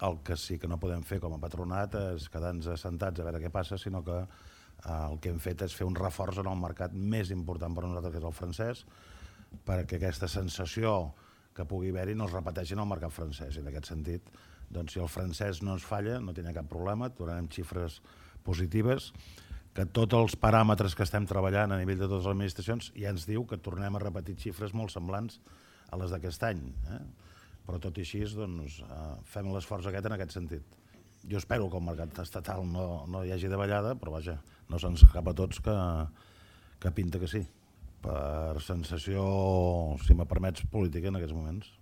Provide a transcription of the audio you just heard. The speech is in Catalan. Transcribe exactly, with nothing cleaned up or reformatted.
El que sí que no podem fer com a patronat és quedar-nos assentats a veure què passa, sinó que el que hem fet és fer un reforç en el mercat més important per a nosaltres, que és el francès, perquè aquesta sensació que pugui haver-hi no es repeteixi en el mercat francès. I en aquest sentit, doncs, si el francès no ens falla, no tindrà cap problema, tornarem xifres positives, que tots els paràmetres que estem treballant a nivell de totes les administracions ja ens diu que tornem a repetir xifres molt semblants a les d'aquest any. Eh? Però tot i així, doncs, fem l'esforç aquest en aquest sentit. Jo espero que el mercat estatal no, no hi hagi davallada, però vaja, no se'ns escapa a tots que, que pinta que sí. Per sensació, si me permets, política en aquests moments.